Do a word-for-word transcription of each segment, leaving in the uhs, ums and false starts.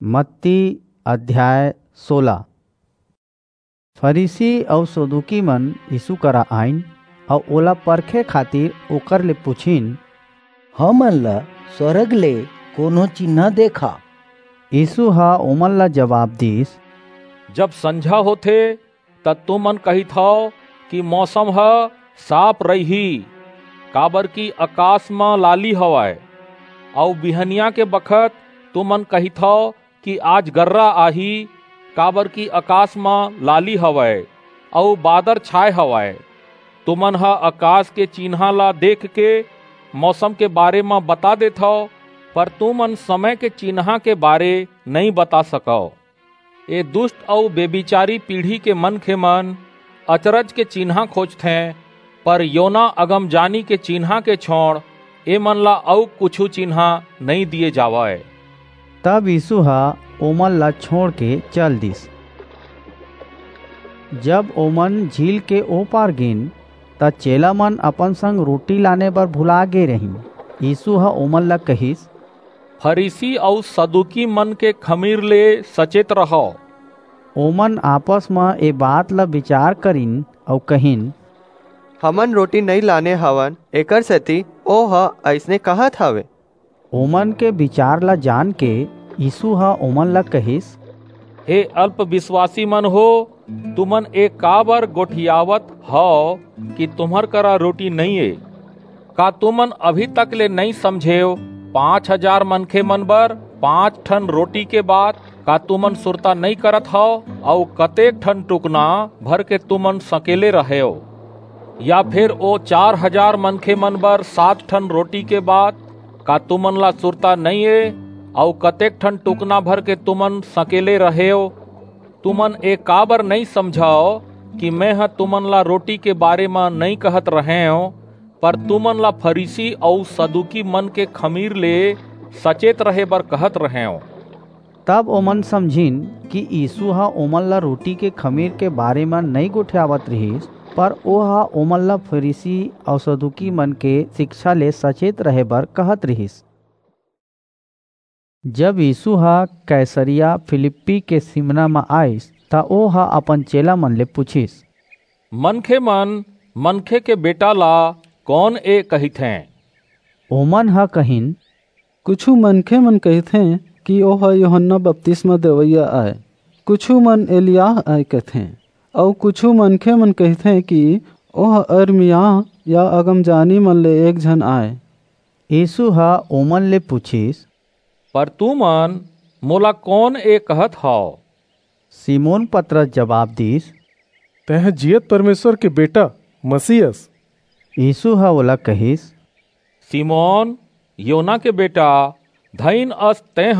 मत्ती अध्याय सोलह। फरीसी अऊ सदूकी मन यीसू करा आईन अऊ ओला परखे खातिर ओकर ले पुछिन, "हमन ला स्वरग ले कोनो चिन्हां देखा।" यीसू ह ओमन ला जबाब दीस, "जब संझा होथे, त तुमन कहिथव कि मौसम ह साफ रहिही, काबरकि अकास म लाली हवय, अऊ बिहनिया के बखत तुमन कहिथव कि आज गर्रा आही, काबरकि अकास म लाली हवय, अऊ बादर छाय हवय। तुमन ह अकास के चिन्हां ला देखके मौसम के बारे म बता देथव, पर तुमन समय के चिन्हां के बारे नइं बता सकव। ए दुस्ट अऊ बेभिचारी पीढ़ी के मनखे मन अचरज के चिन्हां खोजथें, पर योना अगमजानी के चिन्हां के छोंड़ एमन ला अऊ कुछू चिन्हां नइं दिये जावय।" तब यीसू ह ओमन ला छोंड़ के चल दीस। जब ओमन झील के ओ पार गीन, त चेला मन अपन संग रोटी लाने बर भुला गे रहिन। यीसू ह ओमन ला कहिस, "फरीसी अऊ सदूकी मन के खमीर ले सचेत रहव।" ओमन आपस म ए बात ला बिचार करिन अऊ कहिन, "हमन रोटी नइं लाने हवन, एकरसेति ओह अइसने कहत हवे।" ओमन के बिचार ला जानके यीसू ह ओमन ला कहिस, "हे अल्प बिसवासी मन हो, तुमन ए काबर गोठियावत हव कि तुम्हर करा रोटी नइं ए? का तुमन अभी तक ले नइं समझेव? पांच हजार मनखे मन बर पांच ठन रोटी के बात का तुमन सुरता नइं करत हव? अऊ कतेक ठन टुकना भर के तुमन सकेले रहेव? या फेर ओ चार हजार मनखे मन बर सात ठन रोटी के बात का तुमन ला सुरता नइं ए? अऊ कतेक ठन टुकना भर के तुमन सकेले रहेव? तुमन ए काबर नइं समझव कि मेंह तुमन ला रोटी के बारे म नइं कहत रहेंव, पर तुमन ला फरीसी अऊ सदूकी मन के खमीर ले सचेत रहे बर कहत रहेंव?" तब ओमन समझिन कि यीसू ह ओमन ला रोटी के खमीर के बारे म नइं गोठियावत रिहिस, पर ओह ओमन ला फरीसी अऊ सदूकी मन के सिकछा ले सचेत रहे बर कहत रिहिस। जब यीसू ह कैसरिया फिलिप्पी के सीमना म आईस, त ओह अपन चेला मन ले पुछिस, "मनखे मन मनखे के बेटा ला कौन ए कहिथें?" ओमन ह कहिन, "कुछू मनखे मन कहिथें कि ओह यूहन्ना बपतिस्मा देवइया आय, कुछू मन एलियाह आय कहिथें, अऊ कुछू मनखे मन कहिथें कि ओह अरमियाह या अगमजानी मन ले एक झन आय।" यीसू ह ओमन ले पुछिस, "पर तुमन मोला कौन ए कहत हव?" सिमोन पतरस जबाब दीस, "तेंह जीयत परमेसर के बेटा मसीह अस।" यीसू ह ओला कहिस, "सिमोन, योना के बेटा, धइन अस तेंह,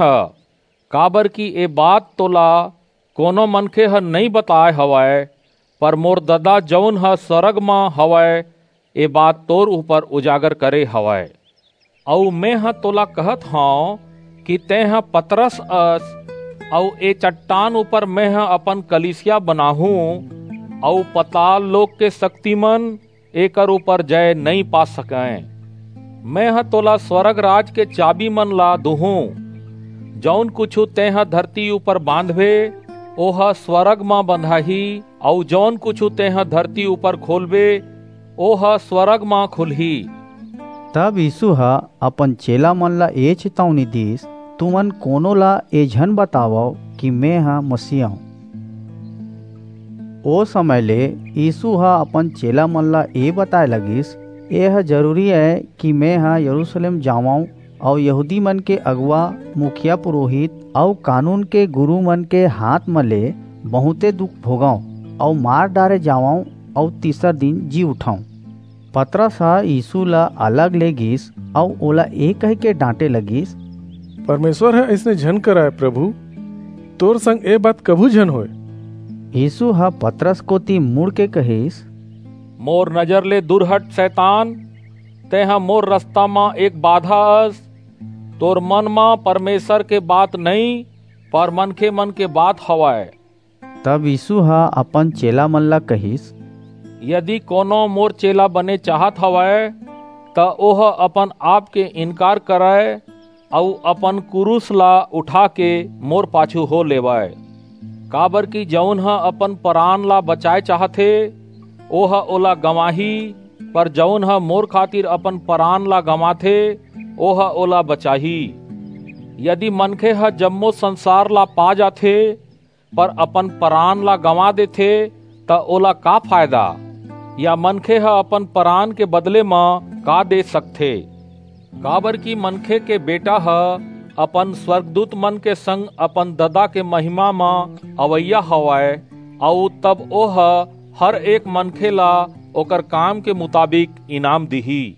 काबरकि ए बात तोला कोनो मनखे ह नइं बताय हवय, पर मोर ददा, जऊन ह स्वरग म हवय, ए बात तोर ऊपर उजागर करे हवय। अऊ मेंह तोला कहत हंव कि तेंह पतरस अस, अऊ ए चट्टान ऊपर मेंह अपन कलीसिया बनाहूं, अऊ पताल लोक के सक्तिमन एकर ऊपर जय नइं पा सकंय। मेंह तोला स्वरग राज के चाबी मन ला दूहूं। जऊन कुछू तेंह धरती ऊपर बांधबे, ओह स्वरग म बंधाही, अऊ जऊन कुछू तेंह धरती ऊपर खोलबे, ओह स्वरग म खुलही।" तब यीसू ह अपन चेला मन ला ए चेतावनी दीस, "तुमन कोनो ला ए झन बतावव कि मेंह मसीह अंव।" ओ समय ले यीसू ह अपन चेला मन ला ए बताय लगिस, "एह जरूरी अय कि मेंह यरूसलेम जावंव अऊ यहूदी मन के अगुवा, मुखिया पुरोहित अऊ कानून के गुरू मन के हांथ म ले बहुंते दुख भोगंव अऊ मार डारे जावंव अऊ तीसर दिन जी उठंव।" पतरस ह यीसू ला अलग ले गीस अऊ ओला ए कहिके डांटे लगिस, "परमेसर ह अइसने झन कराय, परभू, तोर संग ए बात कभू झन होय।" यीसू ह पतरस कोति मुड़के कहिस, "मोर नजर ले दूर हट, सैतान, तेंह मोर रसता म एक बाधा अस। तोर मन म परमेसर के बात नइं, पर मनखे मन के बात हवय।" तब यीसू ह अपन चेला मन ला कहिस, "यदि कोनो मोर चेला बने चाहत हवय, त ओह अपन आप के इनकार करय, अऊ अपन कुरूस ला उठा के मोर पाछू हो लेवय। काबर कि जऊन ह अपन परान ला बचाय चाहथे, ओह ओला गंवाही, पर जऊन ह मोर खातिर अपन परान ला गंवाथे, ओह ओला बचाही। यदि मनखे ह जम्मो संसार ला पा जाथे, पर अपन परान ला गंवा देथे, त ओला का फायदा? या मनखे ह अपन परान के बदले म का दे सकथे? काबर कि मनखे के बेटा ह अपन स्वर्गदूत मन के संग अपन ददा के महिमा म अवइया हवय, अऊ तब ओह हर एक मनखे ला ओकर काम के मुताबिक इनाम दिही।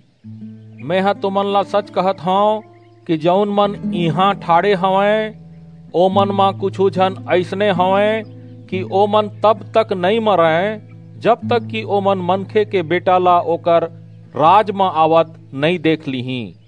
मेंह तुमन ला सच कहत हंव कि जऊन मन इहां ठाढ़े हवंय, ओमन म कुछू झन अइसने हवंय कि ओमन तब तक नइं मरंय, जब तक कि ओमन मनखे के बेटा ला ओकर राज म आवत नइं देख लिहीं।